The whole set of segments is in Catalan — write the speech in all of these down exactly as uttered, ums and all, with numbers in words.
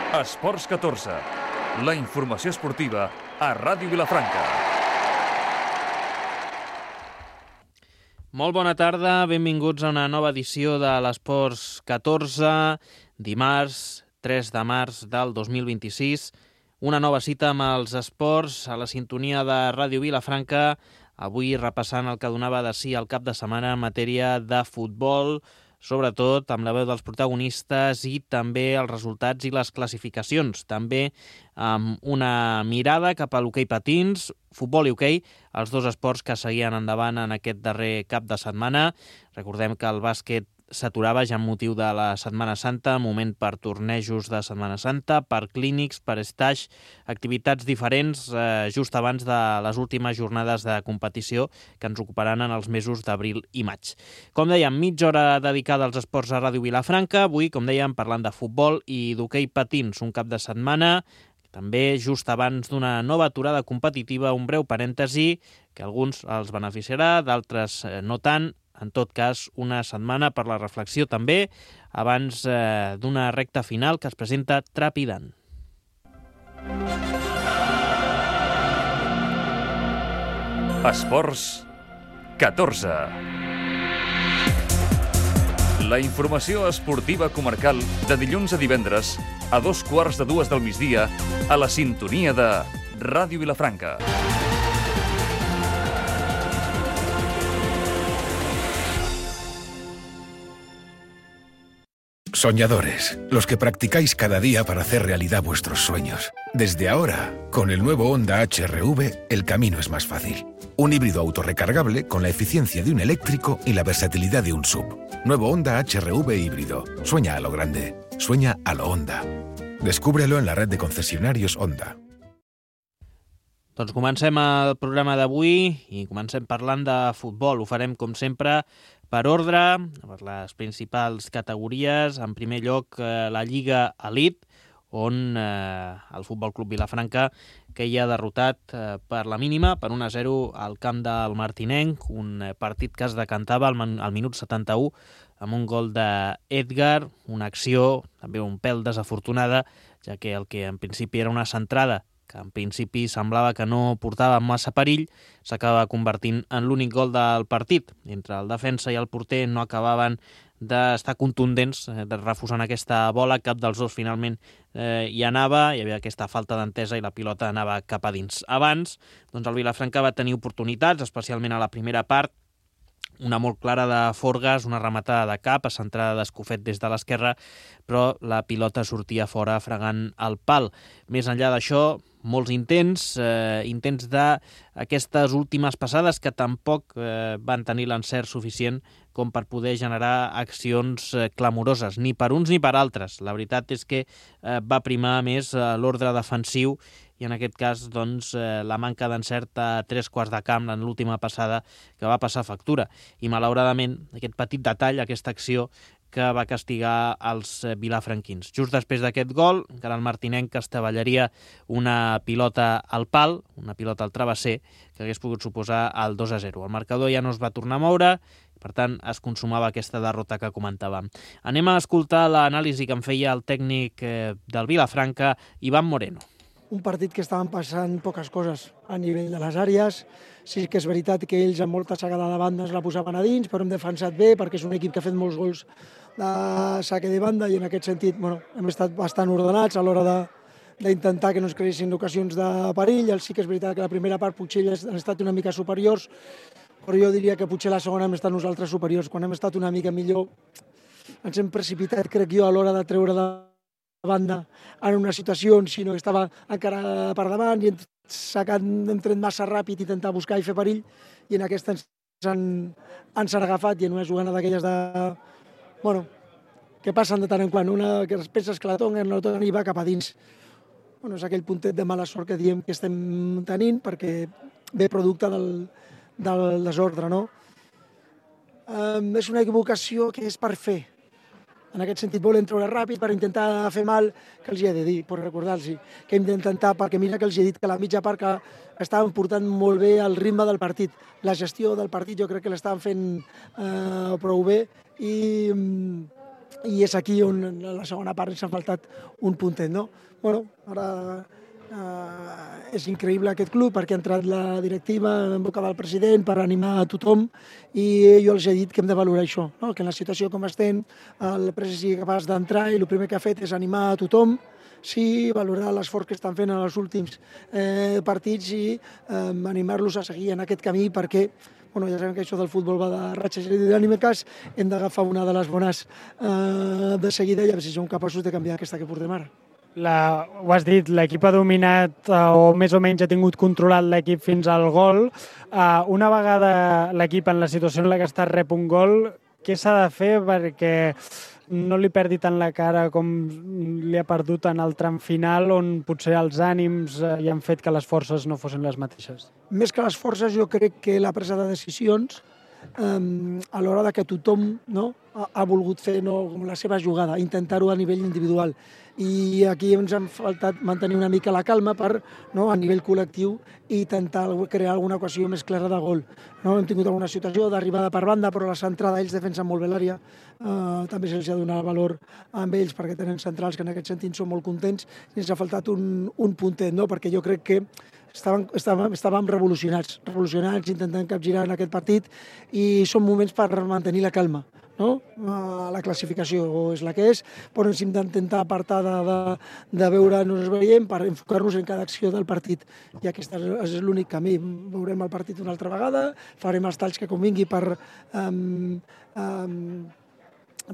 Esports catorze, la informació esportiva a Ràdio Vilafranca. Molt bona tarda, benvinguts a una nova edició de l'Esports catorze, dimarts tres de març del dos mil vint-i-sis. Una nova cita amb els esports a la sintonia de Ràdio Vilafranca, avui repassant el que donava de si el cap de setmana en matèria de futbol, sobretot amb la veu dels protagonistes i també els resultats i les classificacions. També amb una mirada cap a l'hoquei patins, futbol i hoquei, els dos esports que seguien endavant en aquest darrer cap de setmana. Recordem que el bàsquet s'aturava ja amb motiu de la Setmana Santa, moment per tornejos de Setmana Santa, per clínics, per stage, activitats diferents eh, just abans de les últimes jornades de competició que ens ocuparan en els mesos d'abril i maig. Com dèiem, mitja hora dedicada als esports a Ràdio Vilafranca, avui, com dèiem, parlant de futbol i d'hoquei patins, un cap de setmana, també just abans d'una nova aturada competitiva, un breu parèntesi que alguns els beneficiarà, d'altres eh, no tant. En tot cas, una setmana per la reflexió també, abans eh, d'una recta final que es presenta trepidant. Esports catorze. La informació esportiva comarcal de dilluns a divendres a dos quarts de dues del migdia a la sintonia de Ràdio Vilafranca. Soñadores, los que practicáis cada día para hacer realidad vuestros sueños. Desde ahora, con el nuevo Honda H R V, el camino es más fácil. Un híbrido autorrecargable con la eficiencia de un eléctrico y la versatilidad de un S U V. Nuevo Honda H R V híbrido. Sueña a lo grande. Sueña a lo Honda. Descúbrelo en la red de concesionarios Honda. Doncs comencem el programa d'avui i comencem parlant de futbol. Ho farem, com sempre, per ordre, per les principals categories. En primer lloc, eh, la Lliga Elite, on eh, el Futbol Club Vilafranca queia derrotat eh, per la mínima, per un a zero al camp del Martinenc, un eh, partit que es decantava al, al minut setanta-u amb un gol d'Edgar, una acció també un pèl desafortunada, ja que el que en principi era una centrada que en principi semblava que no portava massa perill, s'acaba convertint en l'únic gol del partit. Entre el defensa i el porter no acabaven d'estar contundents, de refusant aquesta bola, cap dels dos finalment eh, hi anava, hi havia aquesta falta d'entesa i la pilota anava cap a dins. Abans, doncs el Vilafranca va tenir oportunitats, especialment a la primera part, una molt clara de Forgas, una rematada de cap, centrada d'Escofet des de l'esquerra, però la pilota sortia fora fregant el pal. Més enllà d'això, molts intents, eh, intents d'aquestes últimes passades que tampoc eh, van tenir l'encert suficient com per poder generar accions eh, clamoroses, ni per uns ni per altres. La veritat és que eh, va primar més eh, l'ordre defensiu i en aquest cas doncs, eh, la manca d'encert a tres quarts de camp en l'última passada que va passar factura. I malauradament aquest petit detall, aquesta acció que va castigar els vilafranquins. Just després d'aquest gol, encara el Martinenc estavellaria una pilota al pal, una pilota al travesser, que hagués pogut suposar el dos a zero. El marcador ja no es va tornar a moure, per tant es consumava aquesta derrota que comentàvem. Anem a escoltar l'anàlisi que en feia el tècnic eh, del Vilafranca, Ivan Moreno. Un partit que estaven passant poques coses a nivell de les àrees. Sí que és veritat que ells amb molta sagada de banda es la posaven a dins, però hem defensat bé perquè és un equip que ha fet molts gols de saque de banda i en aquest sentit bueno, hem estat bastant ordenats a l'hora de, d'intentar que no es creessin ocasions de perill. Sí que és veritat que la primera part potser ells han estat una mica superiors, però jo diria que potser la segona hem estat nosaltres superiors. Quan hem estat una mica millor ens hem precipitat, crec jo, a l'hora de treure de banda en una situació sinó que estava encara per davant i hem sacat, hem tret massa ràpid i intentar buscar i fer perill i en aquesta ens han, ens han agafat i en una jugada d'aquelles de... bueno, que passen de tant en quant, una que penses que la tonguen, no la tonguen i va cap a dins. Bueno, és aquell puntet de mala sort que diem que estem tenint perquè ve producte del, del desordre, no? Um, és una equivocació que és per fer. En aquest sentit volen treure ràpid per intentar fer mal, que els hi he de dir, per recordar-los que hem d'intentar, perquè mira que els he dit que la mitja part que estaven portant molt bé el ritme del partit. La gestió del partit jo crec que l'estaven fent eh, prou bé i i és aquí on en la segona part ens ha faltat un puntet, no? Bueno, ara eh, és increïble aquest club perquè ha entrat la directiva en boca del president per animar a tothom i jo els he dit que hem de valorar això, no? Que en la situació com estem el president sigui capaç d'entrar i el primer que ha fet és animar a tothom, sí, valorar l'esforç que estan fent en els últims eh, partits i eh, animar-los a seguir en aquest camí perquè bueno, ja sabem que això del futbol va de ratxes i dinàmiques, hem d'agafar una de les bones eh, de seguida i a veure si som capaços de canviar aquesta que portem ara. La, ho has dit, l'equip ha dominat eh, o més o menys ha tingut controlat l'equip fins al gol. Eh, una vegada l'equip en la situació en la que està rep un gol, què s'ha de fer perquè no li perdi tant la cara com li ha perdut en el tram final on potser els ànims eh, hi han fet que les forces no fossin les mateixes? Més que les forces, jo crec que la presa de decisions eh, a l'hora de que tothom no, ha, ha volgut fer no, com la seva jugada, intentar-ho a nivell individual. I aquí ens ha faltat mantenir una mica la calma per, no, a nivell col·lectiu, i intentar crear alguna ocasió més clara de gol. No? Hem tingut alguna situació d'arribada per banda, però la centrada ells defensen molt bé l'àrea. Uh, també se'ls ha donat valor amb ells perquè tenen centrals que en aquest sentit són molt contents i ens ha faltat un, un puntet, no? Perquè jo crec que estàvem, estàvem, estàvem revolucionats, revolucionats intentant capgirar en aquest partit i són moments per mantenir la calma. No? La classificació és la que és, però ens hem d'intentar apartar de, de, de veure on ens veiem per enfocar-nos en cada acció del partit. I aquest és l'únic camí. Veurem el partit una altra vegada, farem els talls que convingui per, um, um,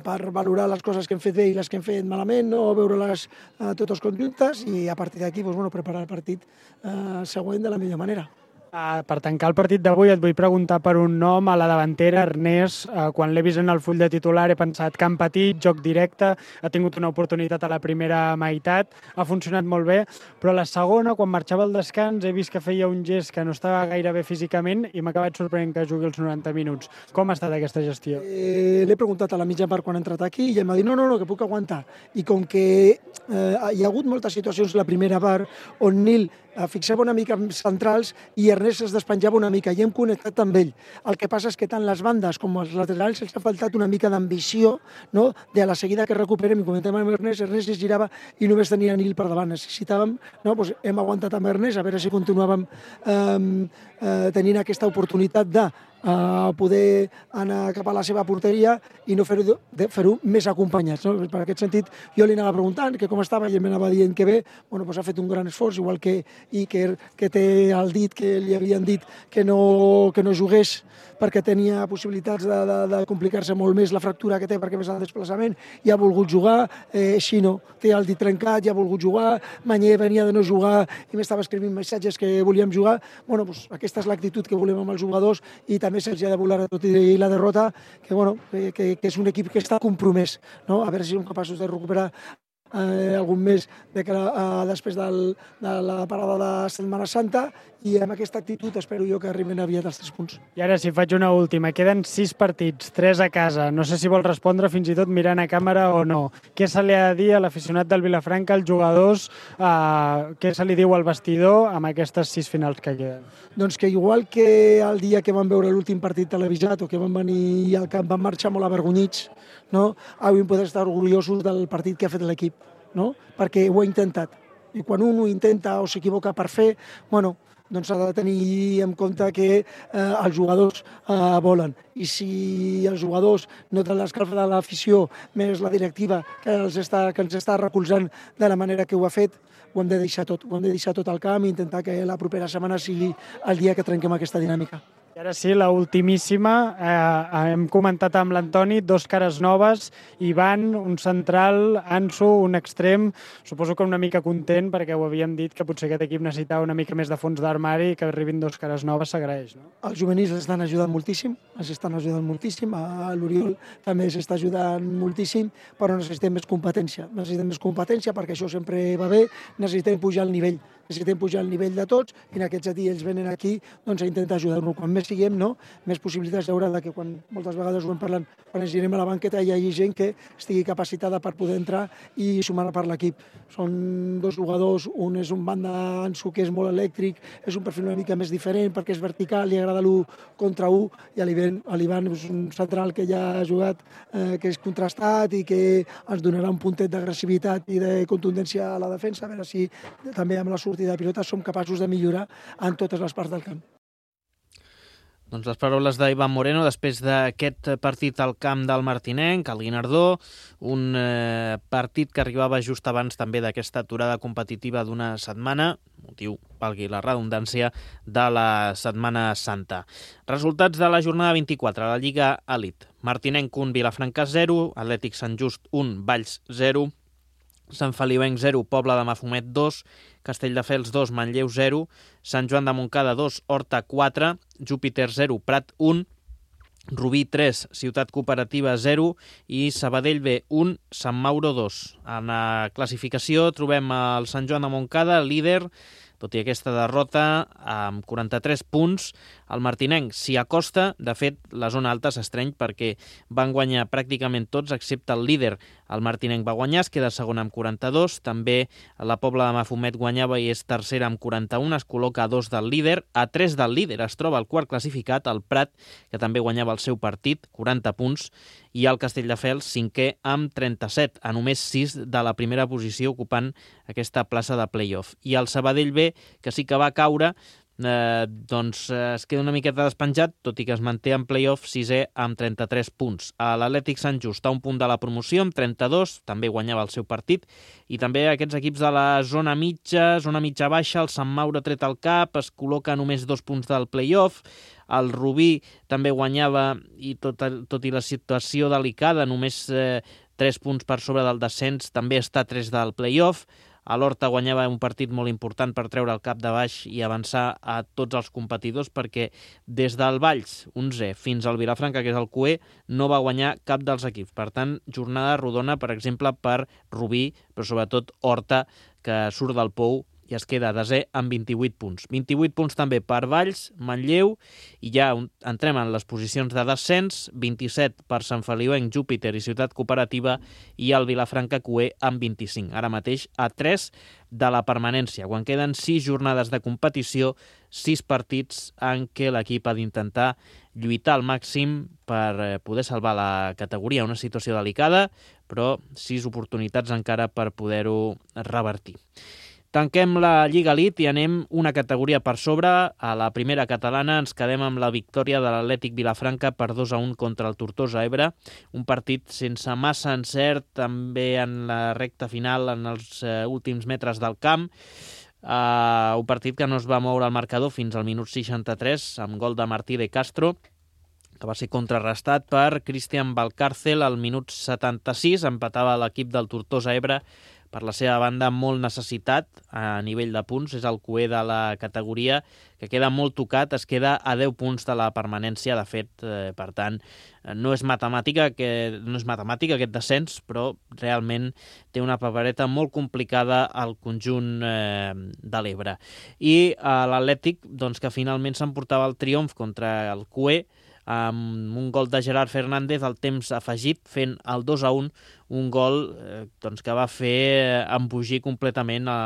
per valorar les coses que hem fet bé i les que hem fet malament, no? Veure-les uh, totes conjuntes i a partir d'aquí doncs, bueno, preparar el partit uh, següent de la millor manera. Uh, per tancar el partit d'avui et vull preguntar per un nom a la davantera, Ernest. Uh, quan l'he vist en el full de titular he pensat camp petit, joc directe, ha tingut una oportunitat a la primera meitat, ha funcionat molt bé, però a la segona, quan marxava al descans, he vist que feia un gest que no estava gaire bé físicament i m'ha acabat sorprenent que jugui els noranta minuts. Com ha estat aquesta gestió? Eh, L'he preguntat a la mitja part quan ha entrat aquí i ell m'ha dit no, no, no, que puc aguantar. I com que eh, hi ha hagut moltes situacions la primera part on Nil fixava una mica centrals i Ernest es despenjava una mica i hem connectat amb ell. El que passa és que tant les bandes com els laterals els ha faltat una mica d'ambició, no? De a la seguida que recuperem i comentem amb Ernest, Ernest es girava i només tenia Nil per davant. Necessitàvem, no? Pues hem aguantat amb Ernest a veure si continuàvem eh, eh, tenint aquesta oportunitat de a poder anar cap a la seva porteria i no fer-ho fer més acompanyats. No? Per aquest sentit, jo li anava preguntant que com estava i ell m'anava dient que bé, bueno, doncs ha fet un gran esforç, igual que Iker, que té el dit, que li havien dit que no, que no jugués perquè tenia possibilitats de, de, de complicar-se molt més la fractura que té perquè més el desplaçament, i ha volgut jugar, eh, Xino té el dit trencat i ha volgut jugar, Mañé venia de no jugar i m'estava escrivint missatges que volíem jugar. Bueno, doncs aquesta és l'actitud que volem amb els jugadors i també se'ls ha de voler tot i la derrota, que, bueno, que, que, que és un equip que està compromès, no? A veure si som capaços de recuperar eh, algun mes de que, eh, després del, de la parada de Setmana Santa, i amb aquesta actitud espero jo que arriben aviat els tres punts. I ara si faig una última, queden sis partits, tres a casa, no sé si vol respondre fins i tot mirant a càmera o no. Què se li ha de dir a l'aficionat del Vilafranca, als jugadors, eh, què se li diu al vestidor amb aquestes sis finals que queden? Doncs que igual que el dia que van veure l'últim partit televisat o que van venir al camp van marxar molt avergonyits, no? Avui podem estar orgullosos del partit que ha fet l'equip, no? Perquè ho ha intentat. I quan un ho intenta o s'equivoca per fer, bueno, doncs s'ha de tenir en compte que eh, els jugadors eh, volen. I si els jugadors noten l'escalf de l'afició, més la directiva que, els està, que ens està recolzant de la manera que ho ha fet, ho hem de deixar tot. Ho hem de deixar tot al camp i intentar que la propera setmana sigui el dia que trenquem aquesta dinàmica. I ara sí, la ultimíssima, eh, hem comentat amb l'Antoni, dos cares noves, Ivan, un central, Ansu, un extrem, suposo que una mica content perquè ho havíem dit que potser aquest equip necessitava una mica més de fons d'armari i que arribin dos cares noves s'agraeix, no? Els juvenils estan ajudant moltíssim, els estan ajudant moltíssim, a l'Oriol també s'està ajudant moltíssim, però necessitem més competència, necessitem més competència perquè això sempre va bé, necessitem pujar el nivell necessitem pujar el nivell de tots i en aquest sentit ells venen aquí doncs, a intentar ajudar-nos. Quan més siguem, no? Més possibilitats hi haurà de que quan moltes vegades ho hem parlat, quan ens girem a la banqueta hi hagi gent que estigui capacitada per poder entrar i sumar per l'equip. Són dos jugadors, un és un banda Ansu que és molt elèctric, és un perfil una mica més diferent perquè és vertical, li agrada l'u contra u, i l'Ivan és un central que ja ha jugat, eh, que és contrastat i que ens donarà un puntet d'agressivitat i de contundència a la defensa, a veure si també amb la sortida de pilota som capaços de millorar en totes les parts del camp. Doncs les paraules d'Ivan Moreno després d'aquest partit al camp del Martinenc, al Guinardó, un eh, partit que arribava just abans també d'aquesta aturada competitiva d'una setmana, motiu, valgui la redundància, de la Setmana Santa. Resultats de la jornada vint-i-quatre, a la Lliga Elite. Martinenc un, Vilafranca zero, Atlètic Sant Just un, Valls zero, Sant Feliuenc zero, Pobla de Mafumet dos, Castelldefels dos, Manlleu zero, Sant Joan de Montcada dos, Horta quatre, Júpiter zero, Prat un, Rubí tres, Ciutat Cooperativa zero i Sabadell B un, Sant Mauro dos. En la classificació trobem el Sant Joan de Montcada, líder, tot i aquesta derrota, amb quaranta-tres punts. El Martinenc s'hi acosta, de fet, la zona alta s'estreny perquè van guanyar pràcticament tots, excepte el líder. El Martinenc va guanyar, es queda segon amb quaranta-dos, també la Pobla de Mafumet guanyava i és tercera amb quaranta-un, es col·loca a dos del líder, a tres del líder es troba el quart classificat, el Prat, que també guanyava el seu partit, quaranta punts, i el Castelldefels cinquè amb trenta-set, a només sis de la primera posició ocupant aquesta plaça de play-off. I el Sabadell B, que sí que va caure, eh, doncs eh, es queda una miqueta despenjat, tot i que es manté en play-off sisè amb trenta-tres punts. A l'Atlètic Sant Just a un punt de la promoció amb trenta-dos, també guanyava el seu partit, i també aquests equips de la zona mitja, zona mitja-baixa, el Sant Mauro tret al cap, es col·loca a només dos punts del play-off, el Rubí també guanyava i tot, tot i la situació delicada, només eh, tres punts per sobre del descens, també està a tres del play-off. A l'Horta guanyava un partit molt important per treure el cap de baix i avançar a tots els competidors perquè des del Valls, onzè, fins al Vilafranca, que és el Q E, no va guanyar cap dels equips. Per tant, jornada rodona, per exemple, per Rubí, però sobretot Horta, que surt del pou i es queda desè amb vint-i-vuit punts. vint-i-vuit punts també per Valls, Manlleu, i ja entrem en les posicions de descens, vint-i-set per Sant Feliuenc, Júpiter i Ciutat Cooperativa, i el Vilafranca Q E amb vint-i-cinc. Ara mateix a tres de la permanència, quan queden sis jornades de competició, sis partits en què l'equip ha d'intentar lluitar al màxim per poder salvar la categoria, una situació delicada, però sis oportunitats encara per poder-ho revertir. Tanquem la Lliga Elite i anem una categoria per sobre. A la primera catalana ens quedem amb la victòria de l'Atlètic Vilafranca per dos a un contra el Tortosa Ebre. Un partit sense massa encert, també en la recta final, en els uh, últims metres del camp. Uh, un partit que no es va moure al marcador fins al minut seixanta-tres, amb gol de Martí de Castro, que va ser contrarrestat per Cristian Valcárcel al minut setanta-sis. Empatava l'equip del Tortosa Ebre, per la seva banda molt necessitat a nivell de punts, és el Q E de la categoria, que queda molt tocat, es queda a deu punts de la permanència, de fet, eh, per tant, no és matemàtica, que, no és matemàtica aquest descens, però realment té una papereta molt complicada al conjunt eh, de l'Ebre. I eh, l'Atlètic, doncs, que finalment s'emportava el triomf contra el Q E, amb un gol de Gerard Fernández al temps afegit, fent el dos a un, un gol eh, doncs, que va fer embogir completament a,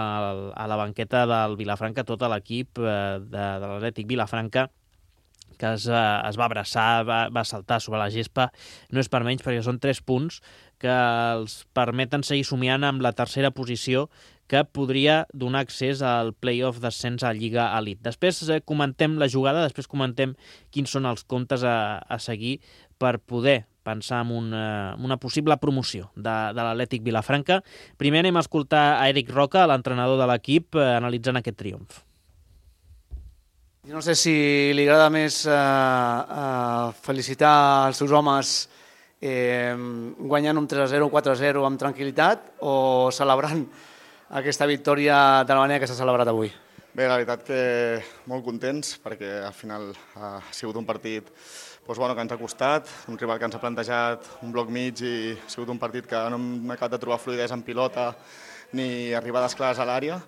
a la banqueta del Vilafranca tot l'equip eh, de, de l'Atlètic Vilafranca, que es, es va abraçar, va, va saltar sobre la gespa. No és per menys, perquè són tres punts que els permeten seguir somiant amb la tercera posició, que podria donar accés al play-off d'ascens a Lliga Elite. Després eh, comentem la jugada, després comentem quins són els comptes a, a seguir per poder pensar en una, una possible promoció de, de l'Atlètic Vilafranca. Primer anem a escoltar a Eric Roca, l'entrenador de l'equip, eh, analitzant aquest triomf. No sé si li agrada més eh, eh, felicitar els seus homes eh, guanyant un tres a zero o quatre a zero amb tranquil·litat o celebrant aquesta victòria de la manera que s'ha celebrat avui. Bé, la veritat que molt contents perquè al final ha sigut un partit doncs, bueno, que ens ha costat, un rival que ens ha plantejat un bloc mig i ha sigut un partit que no hem acabat de trobar fluïdesa en pilota ni arribades clares a l'àrea,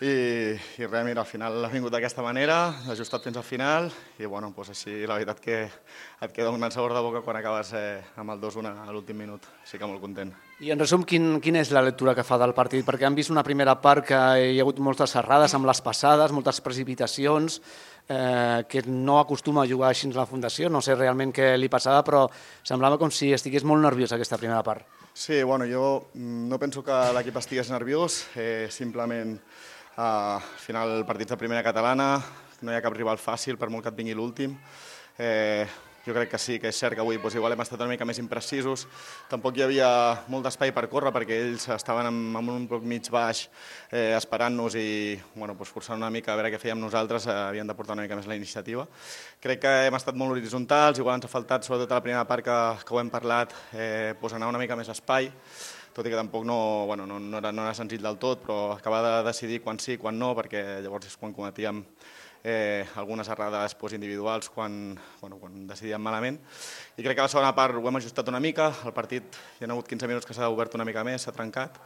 i, i res, mira, al final ha vingut d'aquesta manera, ha ajustat fins al final i bueno, doncs així la veritat que et queda un gran sabor de boca quan acabes eh, amb el dos a un a l'últim minut, així que molt content. I en resum, quin, quina és la lectura que fa del partit? Perquè han vist una primera part que hi ha hagut moltes errades amb les passades, moltes precipitacions, eh, que no acostuma a jugar així a la Fundació, no sé realment què li passava, però semblava com si estigués molt nerviós aquesta primera part. Sí, bueno, jo no penso que l'equip estigués nerviós, eh, simplement eh, al final partits de primera catalana, no hi ha cap rival fàcil per molt que et vingui l'últim. Eh, jo crec que sí, que és cert que avui doncs, igual hem estat una mica més imprecisos. Tampoc hi havia molt d'espai per córrer perquè ells estaven en, en un bloc mig baix eh, esperant-nos i bueno, doncs, forçant una mica a veure què fèiem nosaltres, eh, havien de portar una mica més la iniciativa. Crec que hem estat molt horitzontals, igual ens ha faltat, sobretot a la primera part que, que ho hem parlat, eh, doncs anar una mica més espai, tot i que tampoc no, bueno, no, no, era, no era senzill del tot, però acabar de decidir quan sí, quan no, perquè llavors és quan cometíem Eh, algunes errades pues, individuals quan, bueno, quan decidíem malament. I crec que a la segona part ho hem ajustat una mica, el partit hi ha hagut quinze minuts que s'ha obert una mica més, s'ha trencat,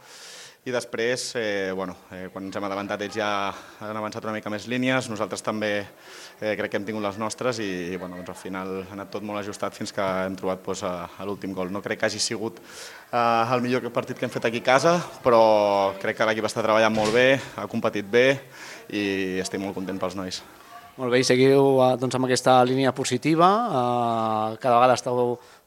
i després, eh, bueno, eh, quan ens hem adelantat ells ja han avançat una mica més línies, nosaltres també eh, crec que hem tingut les nostres i, i bueno, doncs, al final ha anat tot molt ajustat fins que hem trobat pues, a, a l'últim gol. No crec que hagi sigut eh, el millor partit que hem fet aquí a casa, però crec que l'equip està treballant molt bé, ha competit bé i estic molt content pels nois. Molt bé, i seguiu doncs, amb aquesta línia positiva, eh, cada vegada esteu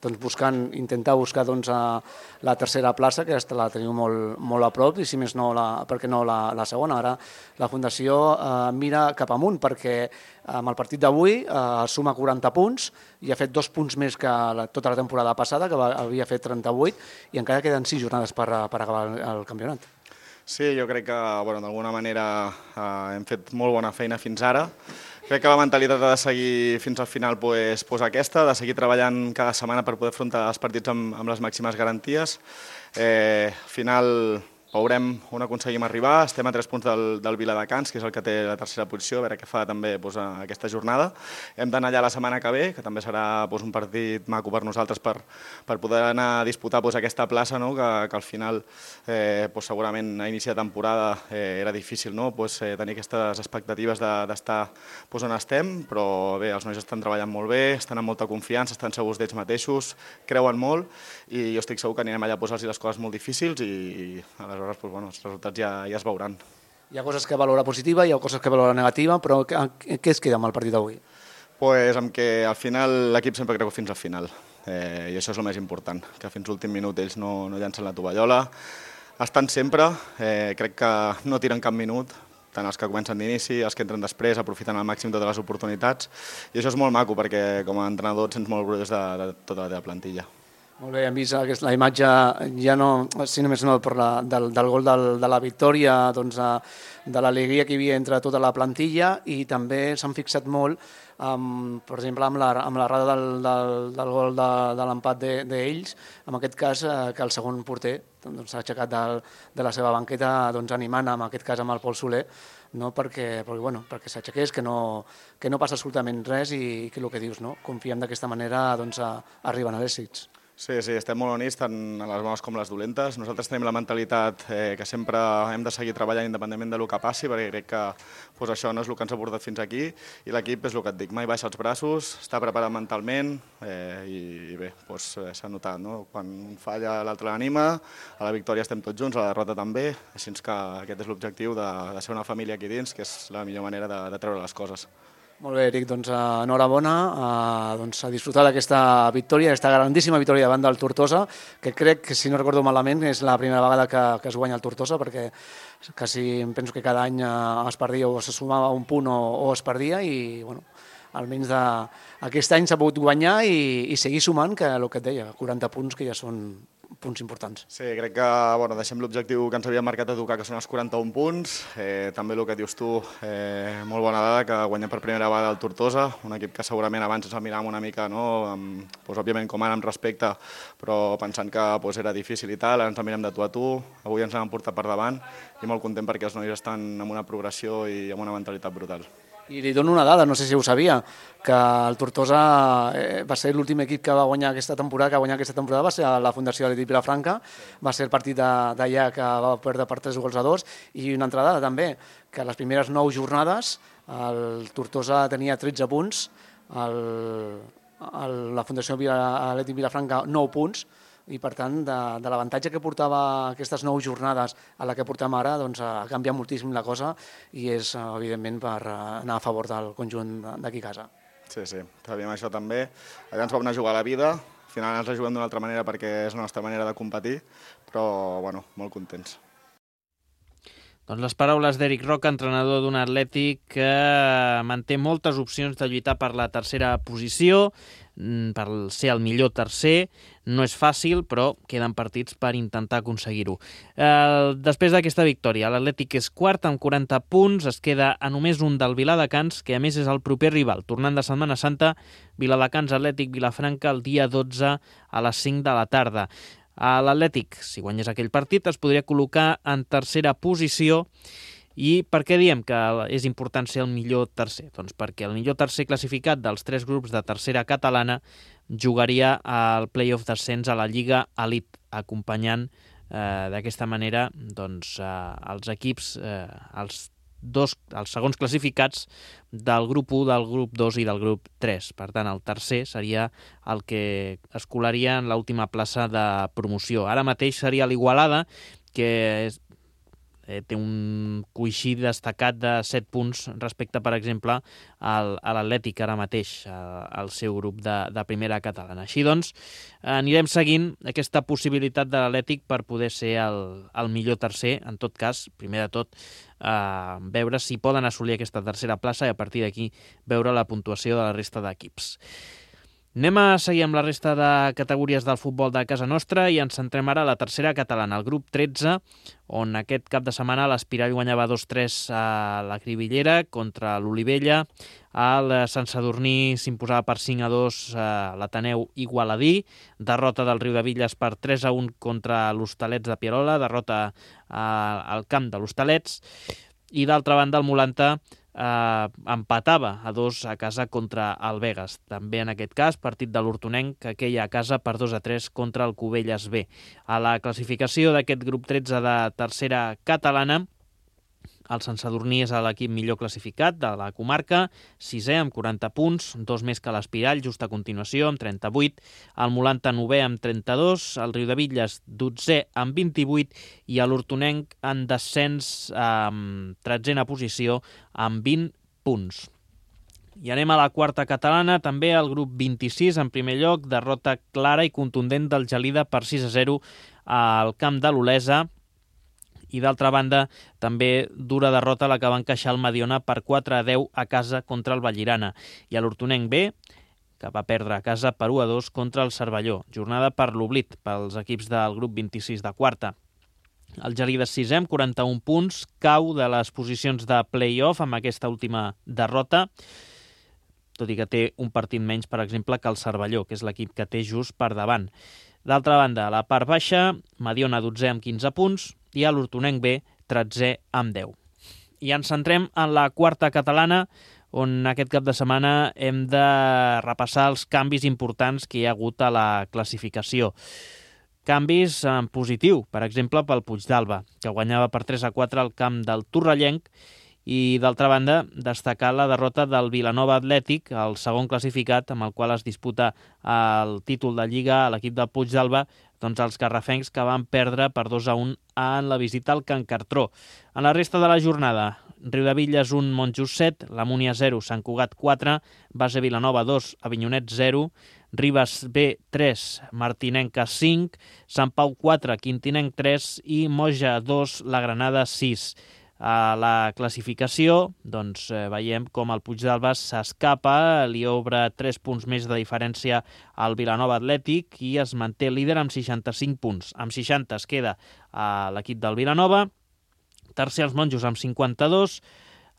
doncs, buscant, intentar buscar doncs, la tercera plaça, que la teniu molt, molt a prop, i si més no, la, perquè no la, la segona. Ara la Fundació eh, mira cap amunt, perquè amb el partit d'avui eh, suma quaranta punts i ha fet dos punts més que la, tota la temporada passada, que va, havia fet trenta-vuit, i encara queden sis jornades per, per acabar el, el campionat. Sí, jo crec que bueno, d'alguna manera eh, hem fet molt bona feina fins ara. Crec que la mentalitat ha de seguir fins al final pues, pues aquesta, de seguir treballant cada setmana per poder afrontar els partits amb, amb les màximes garanties. Eh, al final veurem on aconseguim arribar, estem a tres punts del, del Viladecans, que és el que té la tercera posició, a veure què fa també pues, aquesta jornada. Hem d'anar allà la setmana que ve, que també serà pues, un partit maco per nosaltres per, per poder anar a disputar pues, aquesta plaça, no? que, que al final eh, pues, segurament a inici de temporada eh, era difícil no? pues, eh, tenir aquestes expectatives d'estar de, pues, on estem, però bé, els nois estan treballant molt bé, estan amb molta confiança, estan segurs d'ells mateixos, creuen molt i jo estic segur que anirem allà a posar-los les coses molt difícils i, i aleshores pues, bueno, els resultats ja, ja es veuran. Hi ha coses que valora positiva, hi ha coses que valora negativa, però què es queda amb el partit d'avui? Pues amb que al final l'equip sempre creu fins al final eh, i això és el més important, que fins l'últim minut ells no, no llancen la tovallola, estan sempre, eh, crec que no tiren cap minut, tant els que comencen d'inici, els que entren després, aprofiten al màxim totes les oportunitats i això és molt maco perquè com a entrenador et sents molt orgullós de, de tota la teva plantilla. Molt bé, hem vist aquesta, la imatge, ja no, si només no per la, del, del gol del, de la victòria, doncs, de l'alegria que hi havia entre tota la plantilla i també s'han fixat molt, amb, per exemple, amb la, amb la rada del, del, del gol de, de l'empat d'ells, de, en aquest cas eh, que el segon porter s'ha doncs, aixecat de, de la seva banqueta doncs, animant, en aquest cas amb el Pol Soler, no? perquè, perquè, bueno, perquè s'aixequés, que no, que no passa absolutament res i que el que dius, no? Confiem d'aquesta manera doncs, a, arriben a l'èxits. Sí, sí, estem molt units, tant a les bones com les dolentes. Nosaltres tenim la mentalitat eh, que sempre hem de seguir treballant independentment del que passi, perquè crec que pues, això no és el que ens ha portat fins aquí i l'equip és el que et dic, mai baixa els braços, està preparat mentalment eh, i, i bé, pues, s'ha notat, no? Quan un falla l'altre l'anima, a la victòria estem tots junts, a la derrota també, així que aquest és l'objectiu de, de ser una família aquí dins, que és la millor manera de, de treure les coses. Molt bé, Eric, doncs enhorabona a, doncs, a disfrutar d'aquesta victòria, aquesta grandíssima victòria davant del Tortosa, que crec que, si no recordo malament, és la primera vegada que, que es guanya el Tortosa, perquè quasi em penso que cada any es perdia o se sumava un punt o, o es perdia i, bueno, almenys de, aquest any s'ha pogut guanyar i, i seguir sumant, que el que et deia, quaranta punts que ja són punts importants. Sí, crec que bueno, deixem l'objectiu que ens havia marcat a tocar, que són els quaranta-un punts. Eh, també el que dius tu, eh, molt bona dada, que guanyem per primera vegada el Tortosa, un equip que segurament abans ens el miràvem una mica, no? amb, doncs, òbviament com ara amb respecte, però pensant que doncs, era difícil i tal, ara ens el mirem de tu a tu, avui ens l'hem portat per davant i molt content perquè els nois estan amb una progressió i amb una mentalitat brutal. I li dono una dada, no sé si ho sabia, que el Tortosa eh, va ser l'últim equip que va guanyar aquesta temporada, que va guanyar aquesta temporada va ser la Fundació Atlètic Vilafranca, va ser el partit d'allà que va perdre per tres gols a dos, i una altra dada també, que les primeres nou jornades el Tortosa tenia tretze punts, el, el, la Fundació Atlètic Vilafranca nou punts, i per tant de, de l'avantatge que portava aquestes nou jornades a la que portem ara, doncs ha canviat moltíssim la cosa i és evidentment per anar a favor del conjunt d'aquí a casa. Sí, sí, sabíem això també. Allà ens vam anar a jugar a la vida, al final ens la juguem d'una altra manera perquè és la nostra manera de competir, però bueno, molt contents. Doncs les paraules d'Eric Roca, entrenador d'un Atlètic que manté moltes opcions de lluitar per la tercera posició, per ser el millor tercer. No és fàcil, però queden partits per intentar aconseguir-ho. Eh, després d'aquesta victòria, l'Atlètic és quart amb quaranta punts, es queda a només un del Viladecans, que a més és el proper rival. Tornant de Setmana Santa, Viladecans Atlètic Vilafranca el dia dotze a les cinc de la tarda. L'Atlètic, si guanyés aquell partit, es podria col·locar en tercera posició. I per què diem que és important ser el millor tercer? Doncs perquè el millor tercer classificat dels tres grups de tercera catalana jugaria al play-off d'ascens a la Lliga Elite, acompanyant eh, d'aquesta manera doncs, eh, els equips, eh, els, dos, els segons classificats del grup u, del grup dos i del grup tres. Per tant, el tercer seria el que es colaria en l'última plaça de promoció. Ara mateix seria l'Igualada, que és Eh, té un coixí destacat de set punts respecte, per exemple, al, a l'Atlètic ara mateix, al seu grup de, de primera catalana. Així doncs, anirem seguint aquesta possibilitat de l'Atlètic per poder ser el, el millor tercer. En tot cas, primer de tot, eh, veure si poden assolir aquesta tercera plaça i a partir d'aquí veure la puntuació de la resta d'equips. Anem a seguir amb la resta de categories del futbol de casa nostra i ens centrem ara a la tercera catalana, el grup tretze, on aquest cap de setmana l'Espirall guanyava dos tres a la Cribillera contra l'Olivella, el Sant Sadurní s'imposava per cinc a dos a l'Ateneu Igualadí, derrota del Riudebitlles per tres a un contra l'Hostalets de Pierola, derrota al camp de l'Hostalets, i d'altra banda el Molanta Eh, empatava a dos a casa contra el Begues. També en aquest cas, partit de l'Hortonenc, que queia a casa per dos a tres contra el Cubelles B. A la classificació d'aquest grup tretze de tercera catalana, el Sant Sadurní és l'equip millor classificat de la comarca, sisè amb quaranta punts, dos més que l'Espirall, just a continuació, amb trenta-vuit, el Molanta novè amb trenta-dos, el Riudebitlles dotzè amb vint-i-vuit i l'Hortonenc en descens amb tretzena posició amb vint punts. I anem a la quarta catalana, també el grup vint-i-sis en primer lloc, derrota clara i contundent del Gelida per sis a zero al camp de l'Olesa, i d'altra banda també dura derrota la que va encaixar el Mediona per quatre a deu a casa contra el Vallirana, i a l'Hortonenc B, que va perdre a casa per u a dos contra el Cervelló. Jornada per l'oblit pels equips del grup vint-i-sis de quarta. El Gelida sisè amb quaranta-un punts, cau de les posicions de play-off amb aquesta última derrota, tot i que té un partit menys, per exemple, que el Cervelló, que és l'equip que té just per davant. D'altra banda, a la part baixa, Mediona dotzè amb quinze punts i a l'Hortonenc B tretzè amb deu. I ens centrem en la quarta catalana, on aquest cap de setmana hem de repassar els canvis importants que hi ha hagut a la classificació. Canvis en positiu, per exemple, pel Puigdàlber, que guanyava per tres a quatre al camp del Torrellenc, i d'altra banda destacar la derrota del Vilanova Atlètic, el segon classificat amb el qual es disputa el títol de Lliga a l'equip del Puigdàlber, doncs els garrafencs que van perdre per dos a un en la visita al Can Cartró. En la resta de la jornada, Riudebitlles un, Montjust set, la Múnia zero, Sant Cugat quatre, Base Vilanova dos, Avinyonet zero, Ribes B tres, Martinenca cinc, Sant Pau quatre, Quintinenc tres i Moja dos, la Granada sis. A la classificació, doncs, eh, veiem com el Puigdàlber s'escapa, li obre tres punts més de diferència al Vilanova Atlètic i es manté líder amb seixanta-cinc punts. Amb seixanta es queda a l'equip del Vilanova, tercer els Monjos amb cinquanta-dos,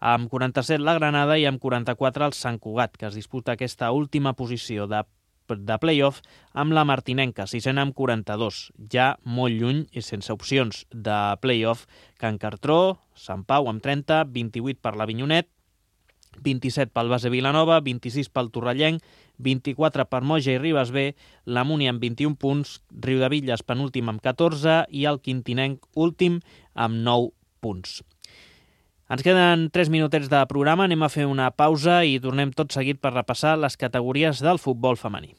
amb quaranta-set la Granada i amb quaranta-quatre el Sant Cugat, que es disputa aquesta última posició de de play-off amb la Martinenca, sisena amb quaranta-dos, ja molt lluny i sense opcions de play-off. Can Cartró, Sant Pau amb trenta, vint-i-vuit per l'Avinyonet vint-i-set pel Base Vilanova, vint-i-sis pel Torrellenc, vint-i-quatre per Moja i Ribes B, la Múnia amb vint-i-un punts, Riudebitlles penúltim amb catorze i el Quintinenc últim amb nou punts. Ens queden tres minutets de programa, anem a fer una pausa i tornem tot seguit per repassar les categories del futbol femení.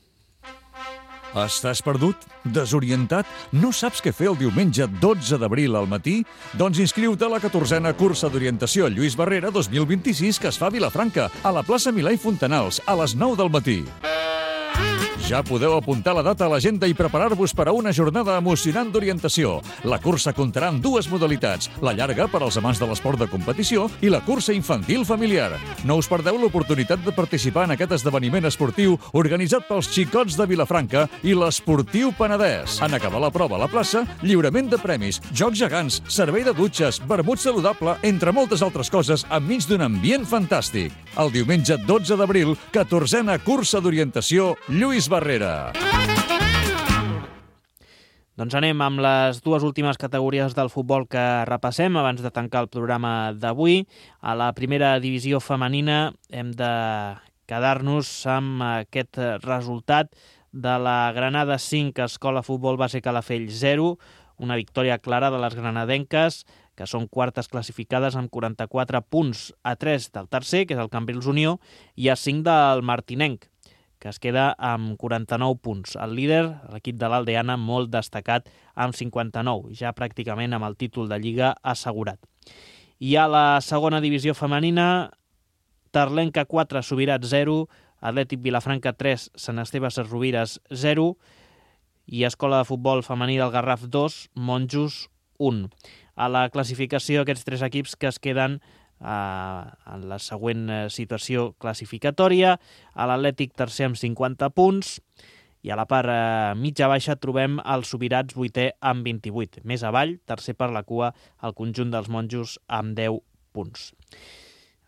Estàs perdut? Desorientat? No saps què fer el diumenge dotze d'abril al matí? Doncs inscriu-te a la catorzena cursa d'orientació Lluís Barrera dos mil vint-i-sis que es fa a Vilafranca, a la plaça Milà i Fontanals, a les nou del matí. Ja podeu apuntar la data a l'agenda i preparar-vos per a una jornada emocionant d'orientació. La cursa comptarà amb dues modalitats, la llarga per als amants de l'esport de competició i la cursa infantil familiar. No us perdeu l'oportunitat de participar en aquest esdeveniment esportiu organitzat pels xicots de Vilafranca i l'Esportiu Penedès. En acabar la prova a la plaça, lliurament de premis, jocs gegants, servei de dutxes, vermut saludable, entre moltes altres coses, enmig d'un ambient fantàstic. El diumenge dotze d'abril, catorzena cursa d'orientació Lluís Barrera. Doncs anem amb les dues últimes categories del futbol que repassem abans de tancar el programa d'avui. A la primera divisió femenina hem de quedar-nos amb aquest resultat de la Granada cinc, Escola Futbol Base Calafell zero, una victòria clara de les granadenques, que són quartes classificades amb quaranta-quatre punts, a tres del tercer, que és el Cambrils Unió, i a cinc del Martinenc, que es queda amb quaranta-nou punts. El líder, l'equip de l'Aldeana, molt destacat, amb cinquanta-nou, ja pràcticament amb el títol de Lliga assegurat. I a la segona divisió femenina, Tarlenca quatre, Subirats zero, Atlètic Vilafranca tres, Sant Esteve Sesrovires zero i Escola de Futbol Femení del Garraf dos, Monjos un. A la classificació, aquests tres equips que es queden eh, en la següent situació classificatòria. A l'Atlètic tercer amb cinquanta punts i a la part eh, mitja-baixa trobem el Subirats vuitè amb vint-i-vuit. Més avall, tercer per la cua, el conjunt dels Monjos amb deu punts.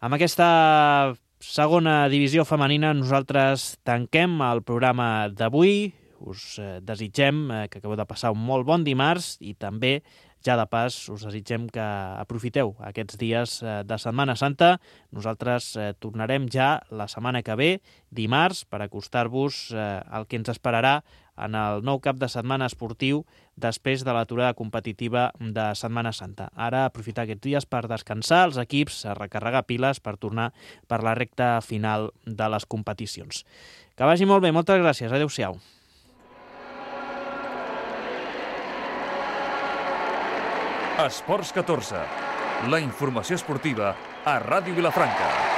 Amb aquesta segona divisió femenina nosaltres tanquem el programa d'avui. Us desitgem que acabeu de passar un molt bon dimarts i també, ja de pas, us desitgem que aprofiteu aquests dies de Setmana Santa. Nosaltres tornarem ja la setmana que ve, dimarts, per acostar-vos el que ens esperarà en el nou cap de setmana esportiu després de l'aturada competitiva de Setmana Santa. Ara aprofitar aquests dies per descansar els equips, a recarregar piles per tornar per la recta final de les competicions. Que vagi molt bé, moltes gràcies, adeu-siau. Esports catorze, la informació esportiva a Ràdio Vilafranca.